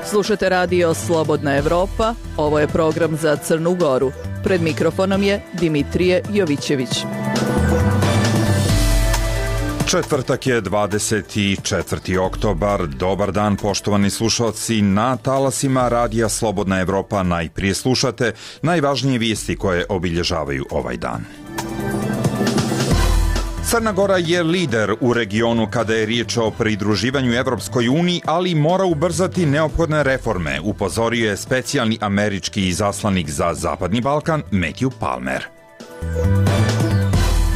Slušate radio Slobodna Evropa, ovo je program za Crnu Goru. Pred mikrofonom je Dimitrije Jovićević. Četvrtak je 24. oktobar. Dobar dan, poštovani slušalci. Na talasima radija Slobodna Evropa najprije slušate najvažnije vijesti koje obilježavaju ovaj dan. Crna Gora je lider u regionu kada je riječ o pridruživanju Evropskoj uniji, ali mora ubrzati neophodne reforme, upozorio je specijalni američki izaslanik za Zapadni Balkan Matthew Palmer.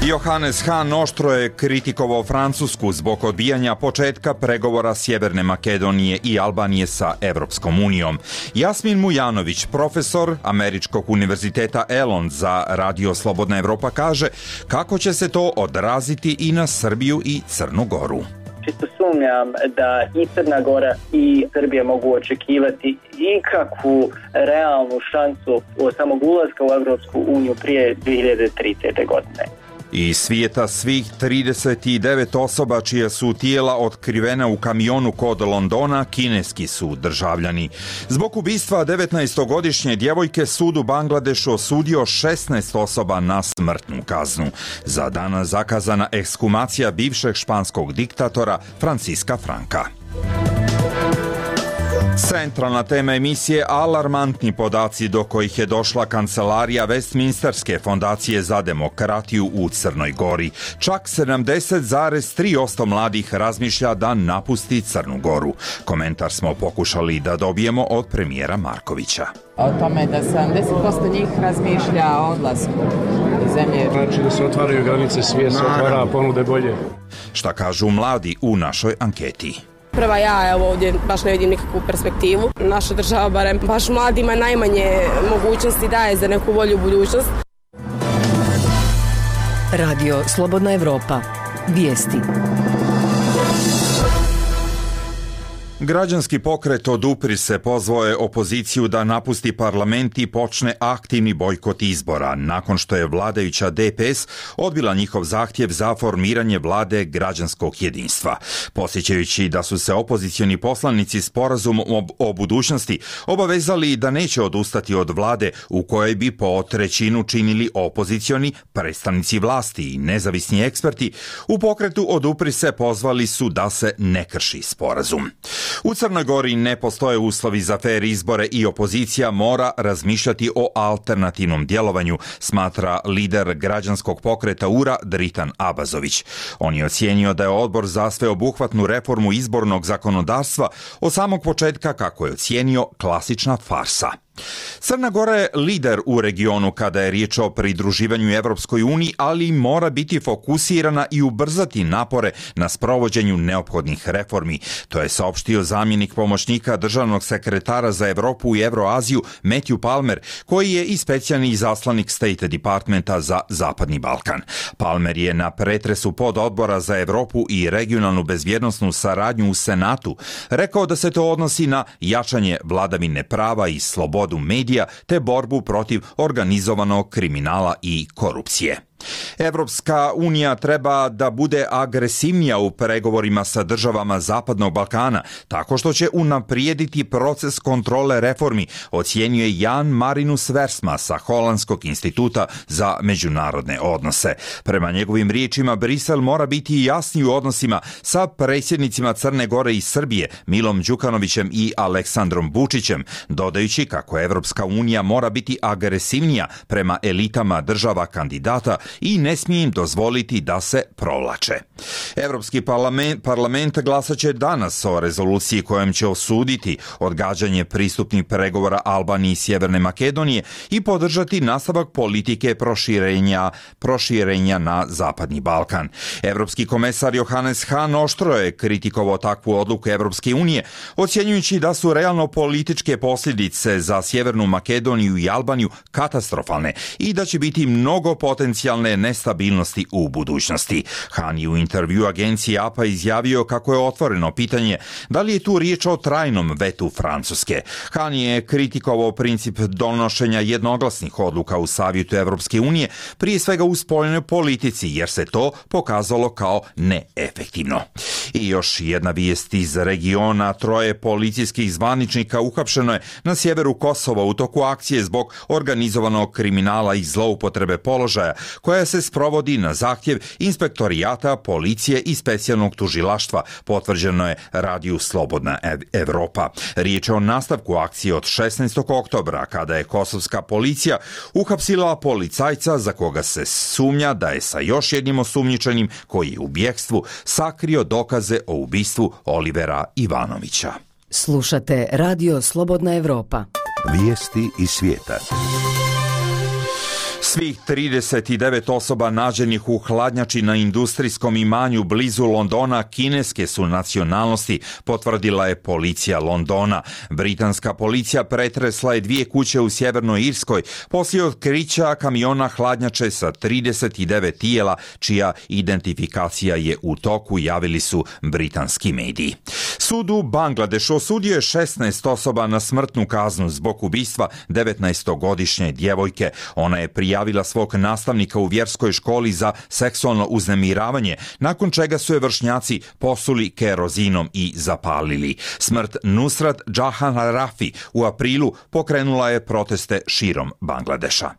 Johannes Hahn oštro je kritikovao Francusku zbog odbijanja početka pregovora Sjeverne Makedonije i Albanije sa Evropskom unijom. Jasmin Mujanović, profesor Američkog univerziteta Elon za radio Slobodna Evropa, kaže kako će se to odraziti i na Srbiju i Crnu Goru. Čisto sumnjam da i Crna Gora i Srbija mogu očekivati ikakvu realnu šansu od samog ulaska u Evropsku uniju prije 2030. godine. Iz svijeta svih 39 osoba čija su tijela otkrivena u kamionu kod Londona kineski su državljani. Zbog ubistva 19-godišnje djevojke sud u Bangladešu osudio 16 osoba na smrtnu kaznu. Za danas zakazana ekshumacija bivšeg španskog diktatora Francisca Franka. Centralna tema emisije alarmantni podaci do kojih je došla kancelarija Westminsterske fondacije za demokratiju u Crnoj Gori. Čak 70,3% mladih razmišlja da napusti Crnu Goru. Komentar smo pokušali da dobijemo od premijera Markovića. O tome da 70% njih razmišlja o odlasku iz zemlje. Znači da se otvaraju granice, svijet se otvara, ponude bolje. Šta kažu mladi u našoj anketi? Prva ja ovdje baš ne vidim nikakvu perspektivu. Naša država barem baš mladima najmanje mogućnosti daje za neku bolju budućnost. Radio Slobodna Evropa. Vijesti. Građanski pokret Odupri se pozvao je opoziciju da napusti parlament i počne aktivni bojkot izbora, nakon što je vladajuća DPS odbila njihov zahtjev za formiranje vlade građanskog jedinstva. Podsjećajući da su se opozicioni poslanici sporazumom o budućnosti obavezali da neće odustati od vlade u kojoj bi po trećinu činili opozicioni predstavnici vlasti i nezavisni eksperti, u pokretu Odupri se pozvali su da se ne krši sporazum. U Crnoj Gori ne postoje uslovi za fer izbore i opozicija mora razmišljati o alternativnom djelovanju, smatra lider građanskog pokreta URA Dritan Abazović. On je ocijenio da je odbor za sveobuhvatnu reformu izbornog zakonodavstva od samog početka, kako je ocijenio, klasična farsa. Crna Gora je lider u regionu kada je riječ o pridruživanju Evropskoj uniji, ali mora biti fokusirana i ubrzati napore na sprovođenju neophodnih reformi. To je saopštio zamjenik pomoćnika državnog sekretara za Evropu i Evroaziju Matthew Palmer, koji je i specijalni izaslanik State Departmenta za Zapadni Balkan. Palmer je na pretresu pododbora za Evropu i regionalnu bezbjednosnu saradnju u Senatu rekao da se to odnosi na jačanje vladavine prava i slobodu medija te borbu protiv organizovanog kriminala i korupcije. Evropska unija treba da bude agresivnija u pregovorima sa državama Zapadnog Balkana, tako što će unaprijediti proces kontrole reformi, ocijenio je Jan Marinus Versma sa Holandskog instituta za međunarodne odnose. Prema njegovim riječima, Brisel mora biti jasniji u odnosima sa predsjednicima Crne Gore i Srbije, Milom Đukanovićem i Aleksandrom Vučićem, dodajući kako Evropska unija mora biti agresivnija prema elitama država kandidata i ne smije im dozvoliti da se provlače. Evropski parlament glasat će danas o rezoluciji kojom će osuditi odgađanje pristupnih pregovora Albanije i Sjeverne Makedonije i podržati nastavak politike proširenja na Zapadni Balkan. Evropski komesar Johannes Hahn oštro je kritikovao takvu odluku Evropske unije, ocjenjujući da su realno političke posljedice za Sjevernu Makedoniju i Albaniju katastrofalne i da će biti mnogo potencijalno eventualne nestabilnosti u budućnosti. Han je u intervju agenciji APA izjavio kako je otvoreno pitanje da li je tu riječ o trajnom vetu Francuske. Han je kritikovao princip donošenja jednoglasnih odluka u Savjetu Evropske unije, prije svega u spoljnoj politici, jer se to pokazalo kao neefektivno. I još jedna vijest iz regiona: 3 policijskih zvaničnika uhapšeno je na sjeveru Kosova u toku akcije zbog organizovanog kriminala i zloupotrebe položaja, koja se sprovodi na zahtjev inspektorijata, policije i specijalnog tužilaštva, potvrđeno je radiju Slobodna Evropa. Riječ je o nastavku akcije od 16. oktobra, kada je kosovska policija uhapsila policajca za koga se sumnja da je sa još jednim osumnjičenim koji je u bjekstvu sakrio dokaze o ubistvu Olivera Ivanovića. Slušate Radio Slobodna Evropa. Vijesti iz svijeta. Svih 39 osoba nađenih u hladnjači na industrijskom imanju blizu Londona kineske su nacionalnosti, potvrdila je policija Londona. Britanska policija pretresla je 2 kuće u Sjevernoj Irskoj poslije otkrića kamiona hladnjače sa 39 tijela, čija identifikacija je u toku, javili su britanski mediji. Sud u Bangladešu osudio je 16 osoba na smrtnu kaznu zbog ubistva 19-godišnje djevojke. Ona je prijavila svog nastavnika u vjerskoj školi za seksualno uznemiravanje, nakon čega su je vršnjaci posuli kerozinom i zapalili. Smrt Nusrat Jahan Rafi u aprilu pokrenula je proteste širom Bangladeša.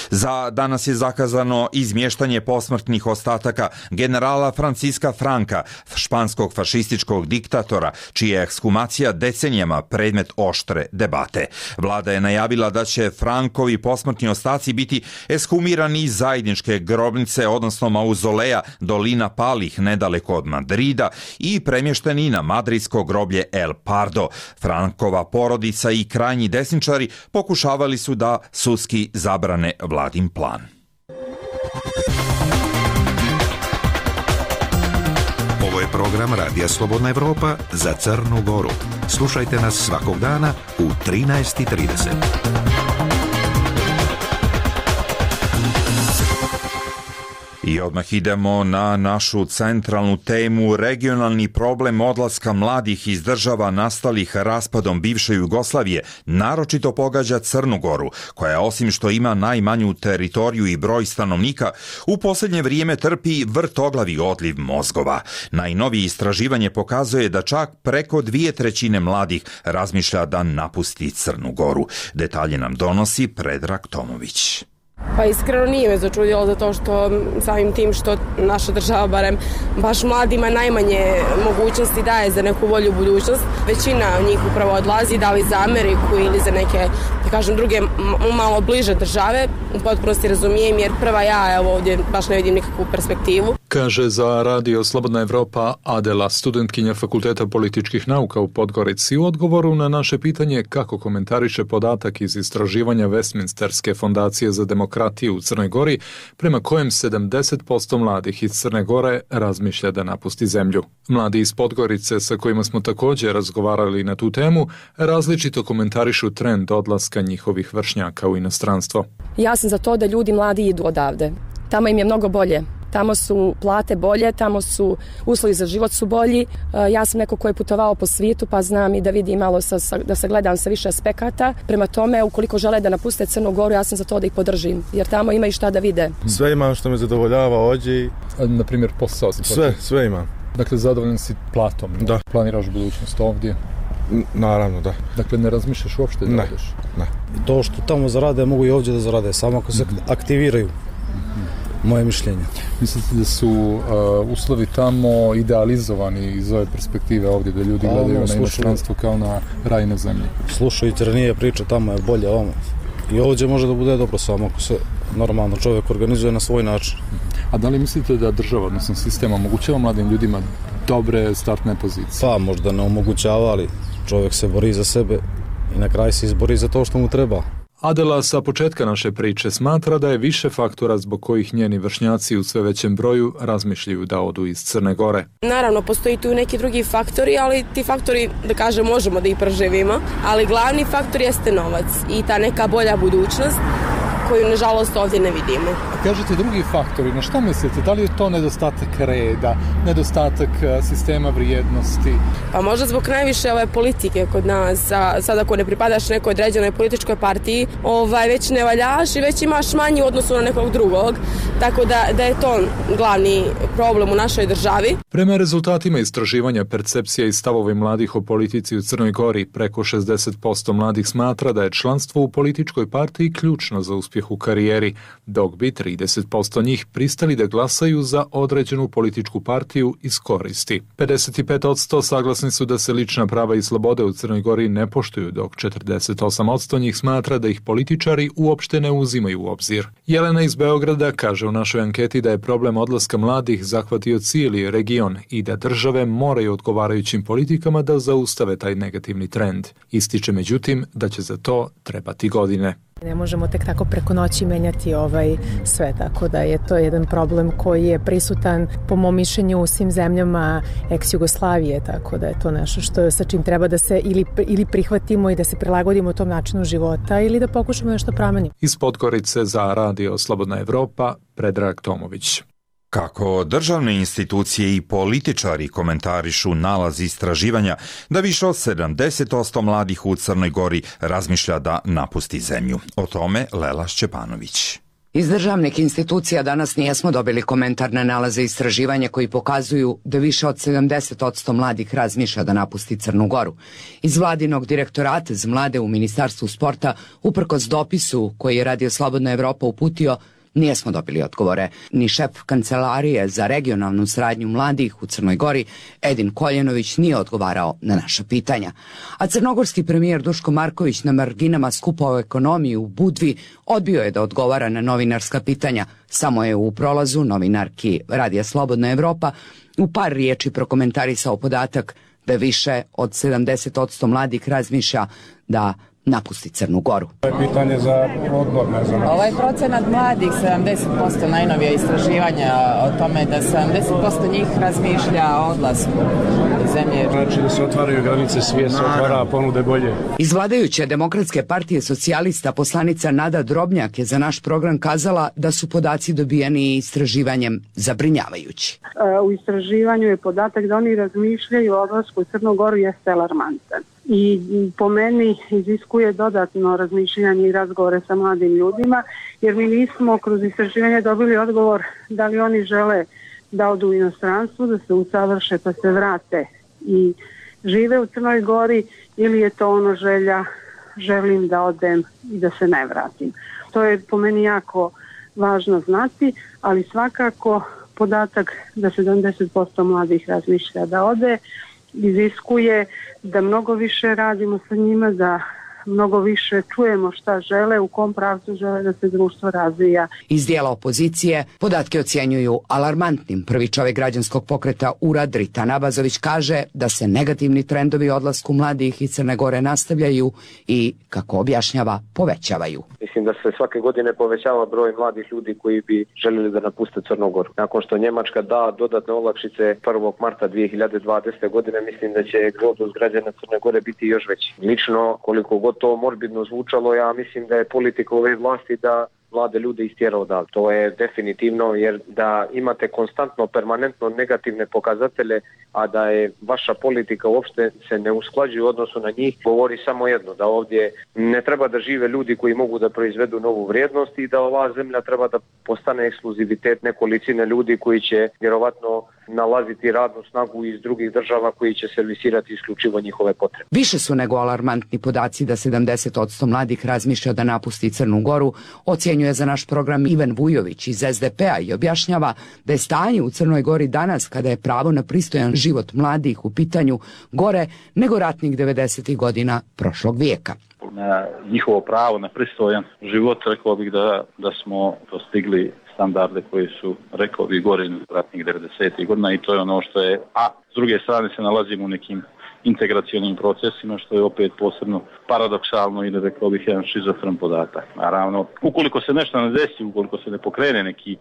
Za danas je zakazano izmještanje posmrtnih ostataka generala Franciska Franka, španskog fašističkog diktatora, čija je ekshumacija decenijama predmet oštre debate. Vlada je najavila da će Frankovi posmrtni ostaci biti ekshumirani iz zajedničke grobnice, odnosno mauzoleja Dolina Palih, nedaleko od Madrida, i premješteni na madridsko groblje El Pardo. Frankova porodica i krajnji desničari pokušavali su da sudski zabrane vladin plan. Ovo je program Radija Slobodna Evropa za Crnu Goru. Slušajte nas svakog dana u 13:30. I odmah idemo na našu centralnu temu. Regionalni problem odlaska mladih iz država nastalih raspadom bivše Jugoslavije naročito pogađa Crnu Goru, koja osim što ima najmanju teritoriju i broj stanovnika, u posljednje vrijeme trpi vrtoglavi odliv mozgova. Najnovije istraživanje pokazuje da čak preko 2/3 mladih razmišlja da napusti Crnu Goru. Detalje nam donosi Predrag Tomović. Pa iskreno nije me začudilo, zato što samim tim što naša država barem baš mladima najmanje mogućnosti daje za neku bolju budućnost. Većina njih upravo odlazi, da li za Ameriku ili za neke, da kažem, druge malo bliže države. U potpunosti razumijem, jer prva ja ovdje baš ne vidim nikakvu perspektivu. Kaže za Radio Slobodna Evropa Adela, studentkinja Fakulteta političkih nauka u Podgorici, u odgovoru na naše pitanje kako komentariše podatak iz istraživanja Westminsterske fondacije za demokratiju u Crnoj Gori, prema kojem 70% mladih iz Crne Gore razmišlja da napusti zemlju. Mladi iz Podgorice, sa kojima smo također razgovarali na tu temu, različito komentarišu trend odlaska njihovih vršnjaka u inostranstvo. Ja sam za to da ljudi mladi idu odavde. Tamo im je mnogo bolje. Tamo su plate bolje, tamo su uslovi za život su bolji. Ja sam neko ko je putovao po svijetu, pa znam i da vidim malo, da se gledam sa više aspekata. Prema tome, ukoliko žele da napuste Crnu Goru, ja sam za to da ih podržim, jer tamo ima i šta da vide. Sve imam što me zadovoljava ovdje. Na primjer, posao? Sve imam. Dakle, zadovoljan si platom? Da. Planiraš budućnost ovdje? Naravno, da. Dakle, ne razmišljaš uopšte da odeš? Ne. To što tamo zarade, mogu i ovdje da zarade, samo ako se aktiviraju. Moje mišljenje. Mislite da su uslovi tamo idealizovani iz ove perspektive ovdje, da ljudi gledaju na inostranstvo kao na raj na zemlji? Slušajte, nije priča, tamo je bolje ovamo. I ovdje može da bude dobro samo ako se normalno čovjek organizuje na svoj način. A da li mislite da država, odnosno sistem, omogućava mladim ljudima dobre startne pozicije? Pa možda ne omogućava, ali čovjek se bori za sebe i na kraju se izbori za to što mu treba. Adela sa početka naše priče smatra da je više faktora zbog kojih njeni vršnjaci u sve većem broju razmišljaju da odu iz Crne Gore. Naravno, postoji tu neki drugi faktori, ali ti faktori, da kažem, možemo da ih preživimo, ali glavni faktor jeste novac i ta neka bolja budućnost. koju nažalost ovdje ne vidimo. A kažete drugi faktori, na šta mislite? Da li je to nedostatak reda, nedostatak sistema vrijednosti? Pa možda zbog najviše ove politike kod nas, sad ako ne pripadaš nekoj određenoj političkoj partiji, već ne valjaš i već imaš manji u odnosu na nekog drugog, tako da je to glavni problem u našoj državi. Prema rezultatima istraživanja percepcija i stavovi mladih o politici u Crnoj Gori, preko 60% mladih smatra da je članstvo u političkoj partiji ključno za uspjeh u karijeri, dok bi 30% njih pristali da glasaju za određenu političku partiju iz koristi. 55% saglasni su da se lična prava i slobode u Crnoj Gori ne poštuju, dok 48% njih smatra da ih političari uopšte ne uzimaju u obzir. Jelena iz Beograda kaže u našoj anketi da je problem odlaska mladih zahvatio cijeli region i da države moraju odgovarajućim politikama da zaustave taj negativni trend. Ističe međutim da će za to trebati godine. Ne možemo tek tako preko noći menjati sve, tako da je to jedan problem koji je prisutan po mom mišljenju u svim zemljama ex-Jugoslavije, tako da je to nešto sa čim treba da se ili prihvatimo i da se prilagodimo tom načinu života ili da pokušamo nešto promeniti. Iz Podgorice za Radio Slobodna Evropa, Predrag Tomović. Kako državne institucije i političari komentarišu nalaz istraživanja da više od 70% mladih u Crnoj Gori razmišlja da napusti zemlju. O tome Lela Šćepanović. Iz državnih institucija danas nijesmo dobili komentar na nalaze istraživanja koji pokazuju da više od 70% mladih razmišlja da napusti Crnu Goru. Iz vladinog direktorata za mlade u Ministarstvu sporta, uprkos dopisu koji je Radio Slobodna Evropa uputio, nijesmo dobili odgovore. Ni šef Kancelarije za regionalnu saradnju mladih u Crnoj Gori, Edin Koljenović, nije odgovarao na naša pitanja. A crnogorski premijer Duško Marković na marginama skupa o ekonomiji u Budvi odbio je da odgovara na novinarska pitanja. Samo je u prolazu novinarki Radija Slobodna Evropa u par riječi prokomentarisao podatak da više od 70% mladih razmišlja da napusti Crnu Goru. Pitanje za odbor, ne znam. Ovaj procenat mladih, 70%, najnovija istraživanja o tome da 70% njih razmišlja o odlasku zemlje. Znači da se otvaraju granice, svijet se otvara, ponude bolje. Iz vladajuće Demokratske partije socijalista poslanica Nada Drobnjak je za naš program kazala da su podaci dobijeni istraživanjem zabrinjavajući. U istraživanju je podatak da oni razmišljaju o odlasku u Crnu Goru jeste alarmantan. I po meni iziskuje dodatno razmišljanje i razgovore sa mladim ljudima, jer mi nismo kroz istraživanje dobili odgovor da li oni žele da odu u inostranstvo, da se usavrše pa se vrate i žive u Crnoj Gori, ili je to ono želim da odem i da se ne vratim. To je po meni jako važno znati, ali svakako podatak da 70% mladih razmišlja da ode iziskuje da mnogo više radimo sa njima, da mnogo više čujemo šta žele, u kom pravcu žele da se društvo razvija. Iz dijela opozicije podatke ocjenjuju alarmantnim. Prvi čovjek građanskog pokreta URA Dritan Abazović kaže da se negativni trendovi odlasku mladih iz Crne Gore nastavljaju i, kako objašnjava, povećavaju. Mislim da se svake godine povećava broj mladih ljudi koji bi željeli da napuste Crnu Goru. Nakon što Njemačka da dodatne olakšice 1. marta 2020. godine, mislim da će egzodus građana Crne Gore biti još veći. Lično, koliko god to morbidno zvučalo, ja mislim da je politika ove vlasti da mlade ljude istjera odavde. To je definitivno, jer da imate konstantno, permanentno negativne pokazatelje, a da je vaša politika uopšte se ne usklađuje u odnosu na njih, govori samo jedno, da ovdje ne treba da žive ljudi koji mogu da proizvedu novu vrijednost i da ova zemlja treba da postane ekskluzivitet nekolicine ljudi koji će vjerovatno nalaziti radnu snagu iz drugih država koji će servisirati isključivo njihove potrebe. Više su nego alarmantni podaci da 70% mladih razmišlja da napusti Crnu Goru, ocjenjuje za naš program Ivan Vujović iz SDP-a i objašnjava da je stanje u Crnoj Gori danas, kada je pravo na pristojan život mladih u pitanju, gore nego ratnih 90. godina prošlog vijeka. Na njihovo pravo na pristojan život, rekao bih da smo dostigli standarde koji su, rekao bih, gore ratnih 90. godina i to je ono što je, a s druge strane se nalazimo u nekim integracionim procesima, što je opet posebno paradoksalno ili, rekao bih, jedan šizofren podatak. Naravno, ukoliko se nešto ne desi, ukoliko se ne pokrene neki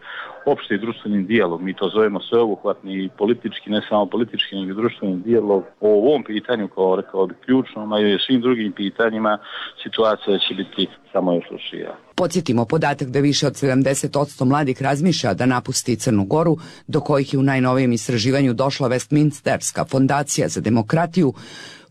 opšti društveni dijalog, mi to zovemo sveobuhvatni politički, ne samo politički, nego društveni dijalog o ovom pitanju, kao, rekao bih, ključnom, a i svim drugim pitanjima, situacija će biti samo još lošija. Podsjetimo, podatak da više od 70% mladih razmišlja da napusti Crnu Goru, do kojih je u najnovijem istraživanju došla Westminsterska fondacija za demokratiju,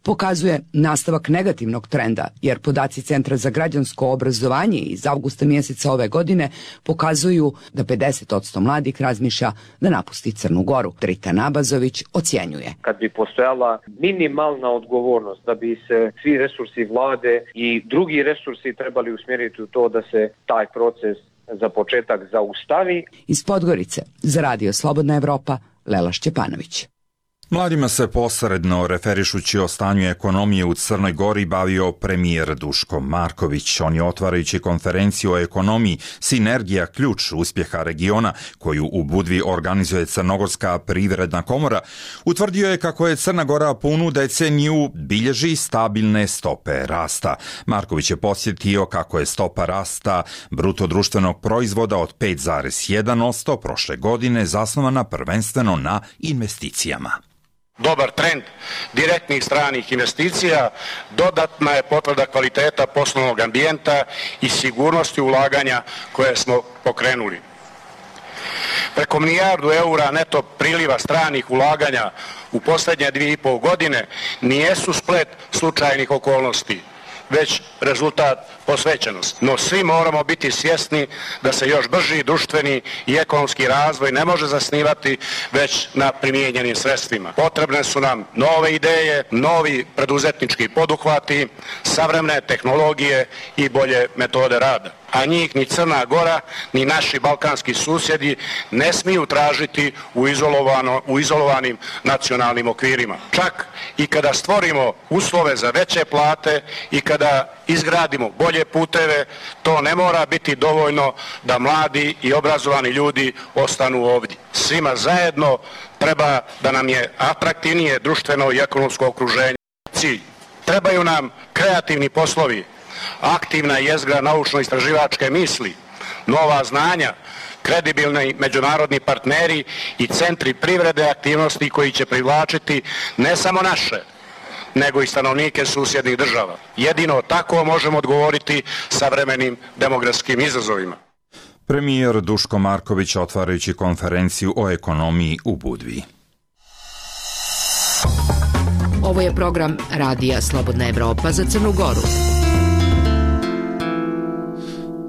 pokazuje nastavak negativnog trenda, jer podaci Centra za građansko obrazovanje iz avgusta mjeseca ove godine pokazuju da 50% mladih razmišlja da napusti Crnu Goru. Dritan Abazović ocjenjuje. Kad bi postojala minimalna odgovornost da bi se svi resursi vlade i drugi resursi trebali usmjeriti u to da se taj proces za početak zaustavi. Iz Podgorice za Radio Slobodna Evropa, Lela Šćepanović. Mladima se posredno referišući o stanju ekonomije u Crnoj Gori bavio premijer Duško Marković. On je, otvarajući konferenciju o ekonomiji Sinergija ključ uspjeha regiona, koju u Budvi organizuje Crnogorska privredna komora, utvrdio je kako je Crna Gora punu deceniju bilježi stabilne stope rasta. Marković je podsjetio kako je stopa rasta bruto društvenog proizvoda od 5,1% prošle godine zasnovana prvenstveno na investicijama. Dobar trend direktnih stranih investicija dodatna je potvrda kvaliteta poslovnog ambijenta i sigurnosti ulaganja koje smo pokrenuli. Preko milijardu eura neto priliva stranih ulaganja u posljednje 2,5 godine nijesu splet slučajnih okolnosti, već rezultat posvećenosti. No svi moramo biti svjesni da se još brži društveni i ekonomski razvoj ne može zasnivati već na primijenjenim sredstvima. Potrebne su nam nove ideje, novi preduzetnički poduhvati, savremene tehnologije i bolje metode rada. A njih ni Crna Gora, ni naši balkanski susjedi ne smiju tražiti u izolovanim nacionalnim okvirima. Čak i kada stvorimo uslove za veće plate i kada izgradimo bolje puteve, to ne mora biti dovoljno da mladi i obrazovani ljudi ostanu ovdje. Svima zajedno treba da nam je atraktivnije društveno i ekonomsko okruženje. Cilj. Trebaju nam kreativni poslovi, aktivna jezgra naučno-istraživačke misli, nova znanja, kredibilni međunarodni partneri i centri privrede aktivnosti koji će privlačiti ne samo naše, nego i stanovnike susjednih država. Jedino tako možemo odgovoriti savremenim demografskim izazovima. Premijer Duško Marković, otvarajući konferenciju o ekonomiji u Budvi. Ovo je program Radija Slobodna Evropa za Crnu Goru.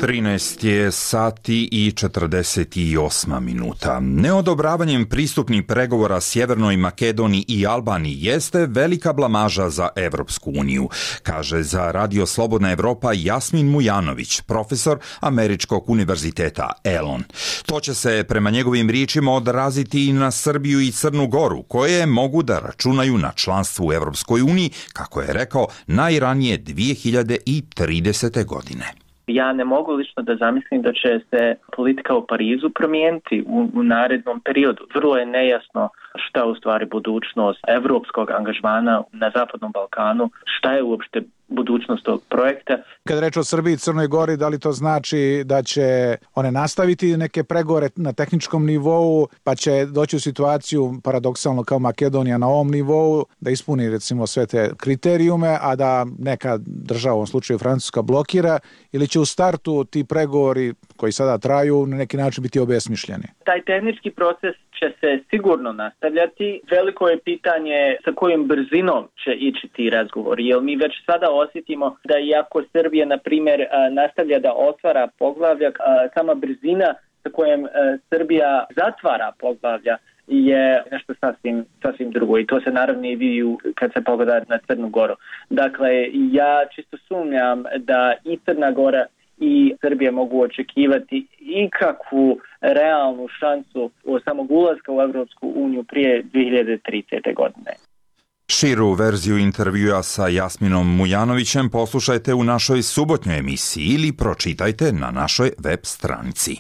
13 je sati i 48 minuta. Neodobravanjem pristupnih pregovora Sjevernoj Makedoniji i Albaniji jeste velika blamaža za Evropsku uniju, kaže za Radio Slobodna Evropa Jasmin Mujanović, profesor Američkog univerziteta Elon. To će se prema njegovim riječima odraziti i na Srbiju i Crnu Goru, koje mogu da računaju na članstvo u Evropskoj uniji, kako je rekao, najranije 2030. godine. Ja ne mogu lično da zamislim da će se politika u Parizu promijeniti u narednom periodu. Vrlo je nejasno šta je u stvari budućnost evropskog angažmana na Zapadnom Balkanu, šta je uopšte budućnost tog projekta. Kad reč o Srbiji i Crnoj Gori, da li to znači da će one nastaviti neke pregovore na tehničkom nivou, pa će doći u situaciju paradoksalno kao Makedonija na ovom nivou, da ispuni recimo sve te kriterijume, a da neka država, u ovom slučaju Francuska, blokira, ili će u startu ti pregovori koji sada traju na neki način biti obesmišljeni? Taj tehnički proces će se sigurno nastavljati. Veliko je pitanje sa kojom brzinom će ići ti razgovori, jer mi već sada osjetimo da iako Srbija, na primjer, nastavlja da otvara poglavlja, sama brzina sa kojom Srbija zatvara poglavlja je nešto sasvim drugo i to se naravno i vidi kad se pogleda na Crnu Goru. Dakle, ja čisto sumnjam da i Crna Gora i Srbija mogu očekivati ikakvu realnu šansu samog ulaska u Evropsku uniju prije 2030. godine. Širu verziju intervjua sa Jasminom Mujanovićem poslušajte u našoj subotnjoj emisiji ili pročitajte na našoj web stranici.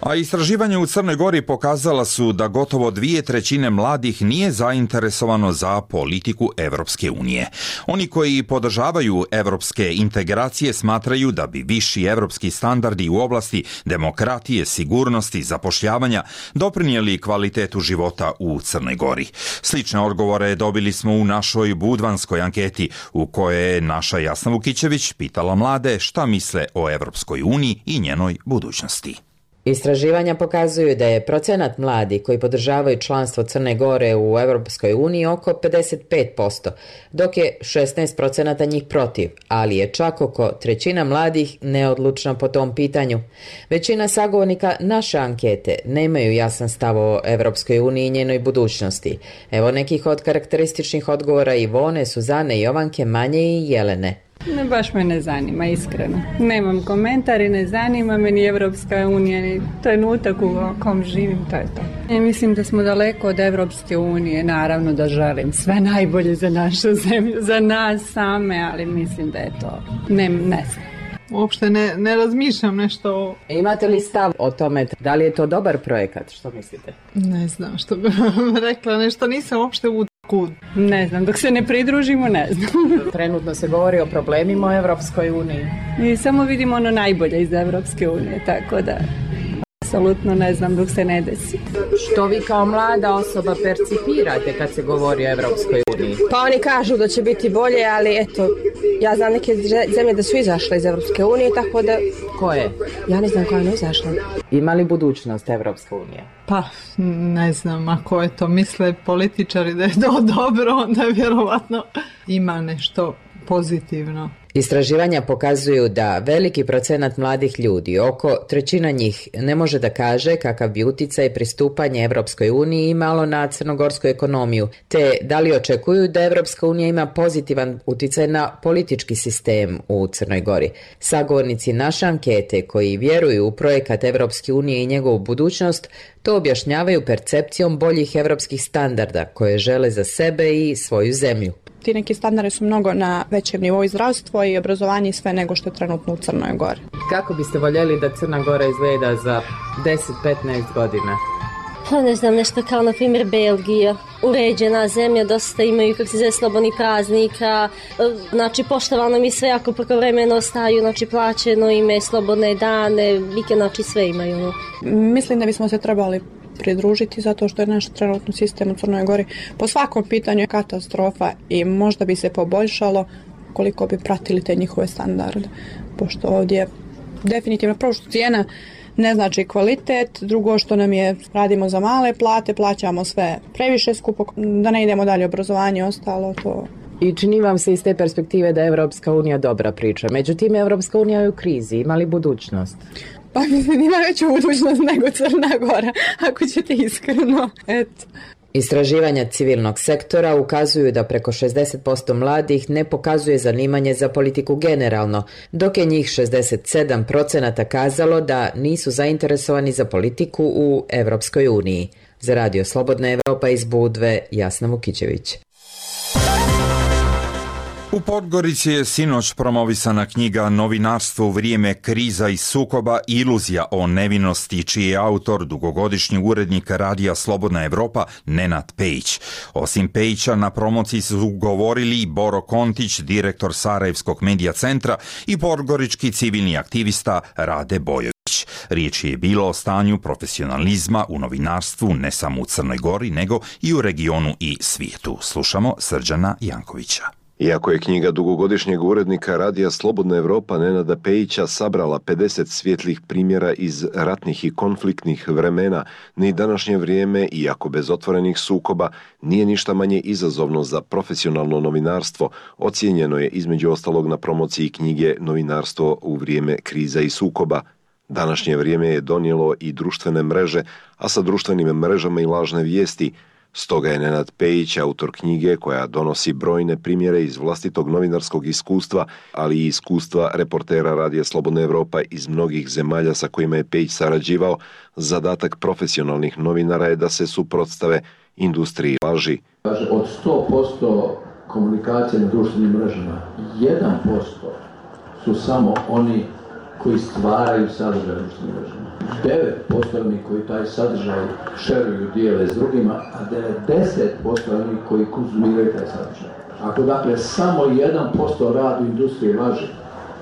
A istraživanja u Crnoj Gori pokazala su da gotovo 2/3 mladih nije zainteresovano za politiku Evropske unije. Oni koji podržavaju evropske integracije smatraju da bi viši evropski standardi u oblasti demokratije, sigurnosti, zapošljavanja doprinijeli kvalitetu života u Crnoj Gori. Slične odgovore dobili smo u našoj budvanskoj anketi u kojoj je naša Jasna Vukićević pitala mlade šta misle o Evropskoj uniji i njenoj budućnosti. Istraživanja pokazuju da je procenat mladih koji podržavaju članstvo Crne Gore u Europskoj uniji oko 55%, dok je 16% njih protiv, ali je čak oko 1/3 mladih neodlučna po tom pitanju. Većina sagovornika naše ankete nemaju jasan stav o Europskoj uniji i njenoj budućnosti. Evo nekih od karakterističnih odgovora Ivone, Suzane, Jovanke, Manje i Jelene. Ne, baš me ne zanima, iskreno. Nemam komentar i ne zanima me ni Evropska unija, ni trenutak u kom živim, to je to. I mislim da smo daleko od Evropske unije, naravno da želim sve najbolje za našu zemlju, za nas same, ali mislim da je to, ne znam. Uopšte ne razmišljam nešto o... Imate li stav o tome, da li je to dobar projekat, što mislite? Ne znam, što bih vam rekla, nešto nisam uopšte kud. Ne znam, dok se ne pridružimo, ne znam. Trenutno se govori o problemima u Evropskoj uniji. I samo vidimo ono najbolje iz Evropske unije, tako da apsolutno ne znam dok se ne desi. Što vi kao mlada osoba percipirate kad se govori o Evropskoj uniji? Pa oni kažu da će biti bolje, ali eto, ja znam neke zemlje da su izašle iz Evropske unije, tako da... Koje? Ja ne znam koja je izašla. Ima li budućnost Evropska unija? Pa, ne znam, ako je to misle političari da je to dobro, onda vjerovatno ima nešto pozitivno. Istraživanja pokazuju da veliki procenat mladih ljudi, oko 1/3 njih, ne može da kaže kakav bi uticaj pristupanje Evropskoj uniji imalo na crnogorsku ekonomiju, te da li očekuju da Evropska unija ima pozitivan uticaj na politički sistem u Crnoj Gori. Sagovornici naše ankete koji vjeruju u projekat Evropske unije i njegovu budućnost, to objašnjavaju percepcijom boljih evropskih standarda koje žele za sebe i svoju zemlju. Ti neki standardi su mnogo na većem nivou i zdravstvo i obrazovanje i sve nego što je trenutno u Crnoj Gori. Kako biste voljeli da Crna Gora izgleda za 10-15 godina? Ne znam, nešto kao na primjer Belgija. Uređena zemlja, dosta imaju slobodnih praznika, znači poštovano mi sve ako prekovremeno ostaju, znači plaćeno ime, slobodne dane, vikend, znači sve imaju. Mislim da bismo se trebali pridružiti zato što je naš trenutni sistem u Crnoj Gori po svakom pitanju je katastrofa i možda bi se poboljšalo koliko bi pratili te njihove standarde. Pošto ovdje definitivno prvo što cijena ne znači kvalitet, drugo što nam je radimo za male plate, plaćamo sve previše skupo, da ne idemo dalje obrazovanje, ostalo to. I čini vam se iz te perspektive da je Evropska unija dobra priča. Međutim, Evropska unija je u krizi, ima li budućnost? Pa mislim, ima veću budućnost nego Crna Gora, ako ćete iskreno. Eto. Istraživanja civilnog sektora ukazuju da preko 60% mladih ne pokazuje zanimanje za politiku generalno, dok je njih 67% kazalo da nisu zainteresovani za politiku u Evropskoj uniji. Za Radio Slobodna Evropa iz Budve, Jasna Vukićević. U Podgorici je sinoć promovisana knjiga Novinarstvo u vrijeme kriza i sukoba, iluzija o nevinosti, čiji je autor dugogodišnji urednik Radija Slobodna Evropa Nenad Pejić. Osim Pejića, na promociji su govorili Boro Kontić, direktor Sarajevskog medija centra, i podgorički civilni aktivista Rade Bojović. Riječ je bilo o stanju profesionalizma u novinarstvu ne samo u Crnoj Gori, nego i u regionu i svijetu. Slušamo Srđana Jankovića. Iako je knjiga dugogodišnjeg urednika Radija Slobodna Evropa Nenada Pejića sabrala 50 svjetlih primjera iz ratnih i konfliktnih vremena, ni današnje vrijeme, iako bez otvorenih sukoba, nije ništa manje izazovno za profesionalno novinarstvo, ocijenjeno je između ostalog na promociji knjige Novinarstvo u vrijeme kriza i sukoba. Današnje vrijeme je donijelo i društvene mreže, a sa društvenim mrežama i lažne vijesti. Stoga je Nenad Pejić, autor knjige koja donosi brojne primjere iz vlastitog novinarskog iskustva, ali i iskustva reportera Radija Slobodna Evropa iz mnogih zemalja sa kojima je Pejić sarađivao, zadatak profesionalnih novinara je da se suprotstave industriji laži. Od 100% komunikacije na društvenim mrežama, 1% su samo oni koji stvaraju sadržaj društvenih mreža. 9% onih koji taj sadržaj šeruju, dijele s drugima, a 90% onih koji konzumiraju taj sadržaj. Ako dakle samo 1% radi industrije laže,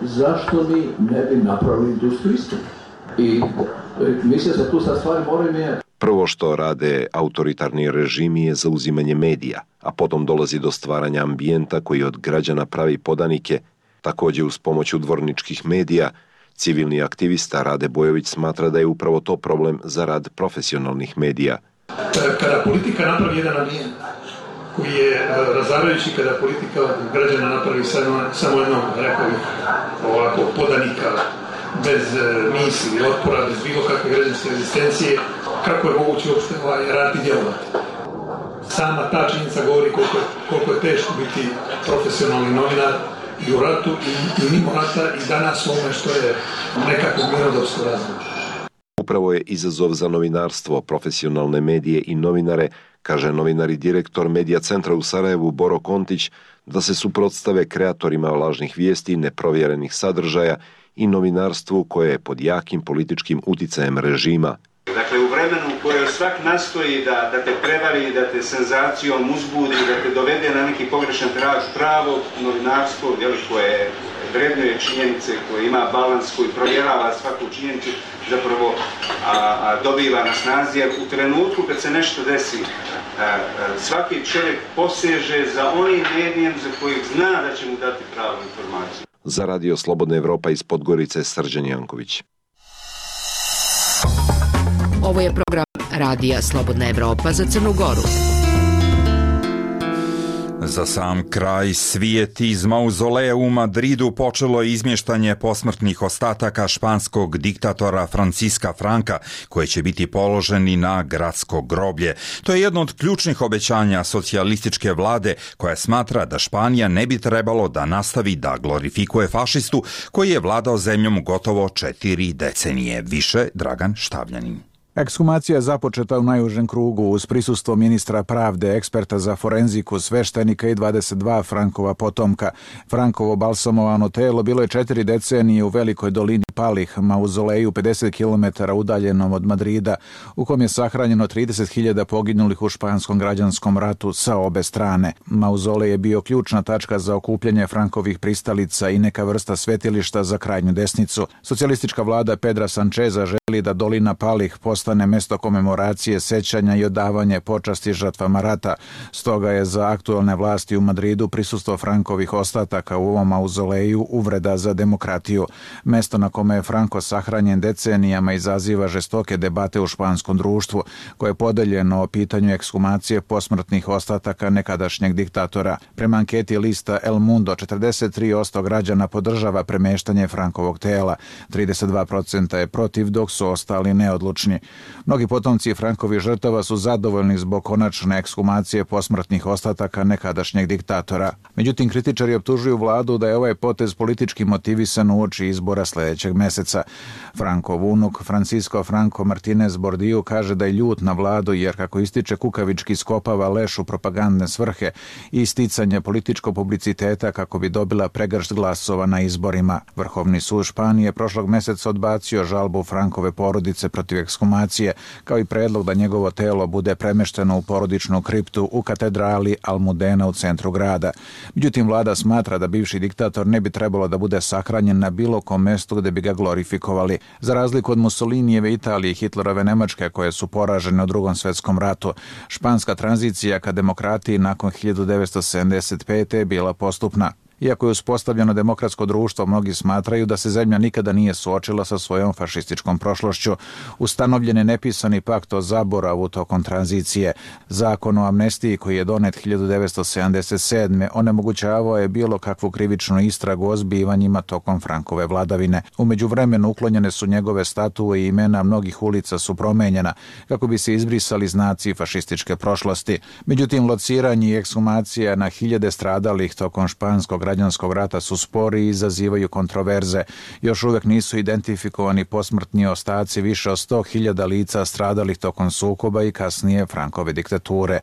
zašto mi ne bi napravili industriju istinu? I mislim se tu sad stvari moraju mijenjati. Prvo što rade autoritarni režimi je zauzimanje medija, a potom dolazi do stvaranja ambijenta koji od građana pravi podanike. Također uz pomoć udvorničkih medija, civilni aktivista Rade Bojović smatra da je upravo to problem za rad profesionalnih medija. Kada politika napravi jedan ambijent koji je razarajući, kada politika od građana napravi samo jednog, rekao bih, ovako, podanika, bez misli, otpora, bez bilo kakve građanske rezistencije, kako je moguće uopšte raditi djelovati. Sama ta činjenica govori koliko je teško biti profesionalni novinar i u ratu i mimo rata i danas u ovome što je nekako mirnodopsko razdoblje. Upravo je izazov za novinarstvo, profesionalne medije i novinare, kaže novinar i direktor Medija centra u Sarajevu Boro Kontić, da se suprotstave kreatorima lažnih vijesti, neprovjerenih sadržaja i novinarstvu koje je pod jakim političkim uticajem režima. Dakle, u vremenu u kojoj svak nastoji da te prevari, da te senzacijom uzbudi, da te dovede na neki pogrešan trag, pravo novinarstvo, koje vrednuje činjenice, koje ima balans, koji provjerava svaku činjenicu, zapravo dobiva na snazi, jer u trenutku kad se nešto desi, svaki čovjek poseže za onim medijem za kojeg zna da će mu dati pravu informaciju. Za Radio Slobodna Evropa iz Podgorice, Srđan Janković. Ovo je program Radija Slobodna Evropa za Crnu Goru. Za sam kraj, svijet iz mauzoleja u Madridu počelo je izmještanje posmrtnih ostataka španskog diktatora Francisca Franka, koji će biti položeni na gradsko groblje. To je jedno od ključnih obećanja socijalističke vlade, koja smatra da Španija ne bi trebalo da nastavi da glorifikuje fašistu koji je vladao zemljom gotovo 4 decenije. Više Dragan Štavljanin. Ekshumacija je započeta u najužem krugu uz prisustvo ministra pravde, eksperta za forenziku, sveštenika i 22 Frankova potomka. Frankovo balsamovano telo bilo je 4 decenije u velikoj dolini Palih, mauzoleju 50 km udaljenom od Madrida, u kom je sahranjeno 30.000 poginulih u španskom građanskom ratu sa obe strane. Mauzolej je bio ključna tačka za okupljanje Frankovih pristalica i neka vrsta svetilišta za krajnju desnicu. Socijalistička vlada Pedra Sancheza želi da dolina Palih postane mesto komemoracije, sećanja i odavanje počasti žrtvama rata. Stoga je za aktualne vlasti u Madridu prisustvo Frankovih ostataka u ovom mauzoleju uvreda za demokratiju. Mesto na kome je Franko sahranjen decenijama izaziva žestoke debate u španskom društvu, koje je podeljeno o pitanju ekshumacije posmrtnih ostataka nekadašnjeg diktatora. Prema anketi lista El Mundo, 43% građana podržava premeštanje Frankovog tela, 32% je protiv, dok su ostali neodlučni. Mnogi potomci Frankovih žrtava su zadovoljni zbog konačne ekshumacije posmrtnih ostataka nekadašnjeg diktatora. Međutim, kritičari optužuju vladu da je ovaj potez politički motivisan uoči izbora sljedećeg meseca. Frankov unuk Francisco Franco Martinez Bordillo kaže da je ljut na vladu jer, kako ističe, kukavički skopava leš u propagandne svrhe i isticanje političkog publiciteta kako bi dobila pregršt glasova na izborima. Vrhovni sud Španije prošlog meseca odbacio žalbu Frankove porodice protiv ekshumacije, kao i predlog da njegovo telo bude premešteno u porodičnu kriptu u katedrali Almudena u centru grada. Međutim, vlada smatra da bivši diktator ne bi trebalo da bude sahranjen na bilo kom mestu gde bi ga glorifikovali. Za razliku od Mussolinijeve Italije i Hitlerove Nemačke, koje su poražene u Drugom svjetskom ratu, španska tranzicija ka demokratiji nakon 1975. je bila postupna. Iako je uspostavljeno demokratsko društvo, mnogi smatraju da se zemlja nikada nije suočila sa svojom fašističkom prošlošću. Ustanovljen je nepisani pakt o zaboravu tokom tranzicije. Zakon o amnestiji, koji je donet 1977. onemogućavao je bilo kakvu krivičnu istragu o zbivanjima tokom Frankove vladavine. U međuvremenu uklonjene su njegove statue i imena mnogih ulica su promenjena kako bi se izbrisali znaci fašističke prošlosti. Međutim, lociranje i ekshumacija na hiljade stradalih tokom španskog građanskog rata su spori i izazivaju kontroverze. Još uvijek nisu identifikovani posmrtni ostaci više od 100.000 lica stradalih tokom sukoba i kasnije Frankove diktature.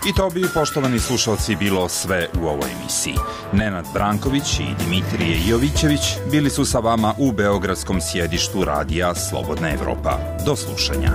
I to bi, poštovani slušalci, bilo sve u ovoj emisiji. Nenad Branković i Dimitrije Jovićević bili su sa vama u beogradskom sjedištu radija Slobodna Evropa. Do slušanja.